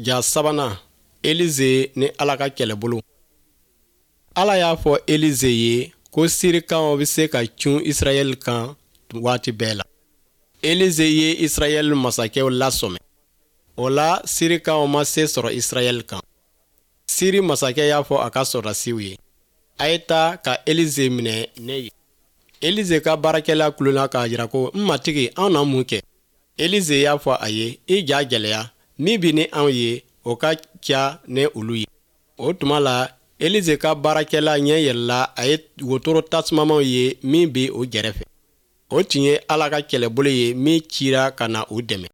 Ja sabanan, Elize ni Ala ka kɛlɛbolo. Ala y'a fɔ Elize ye ko Sirikaw bɛ se ka cun Israɛl kan waati bɛɛ la. Elize ye Israɛl masakɛw lasɔmi. O la, Sirikaw ma se sɔrɔ Israɛl kan. Siri masakɛ y'a fɔ a ka sɔrɔdasiw ye, A ye taa ka Elize minɛ ne ye. Elize ka baarakɛla kulela k'a jira ko, N matigi, anw na mun kɛ? Elize y'a fɔ a ye, I ja gɛlɛya, min bɛ ni anw ye, o ka ca ni olu ye. O tuma la, Elize ka baarakɛla ɲɛ yɛlɛla, a ye wotoro tasumamaw ye min bɛ o gɛrɛfɛ. O tun ye Ala ka kɛlɛbolo ye min cira ka na u dɛmɛ.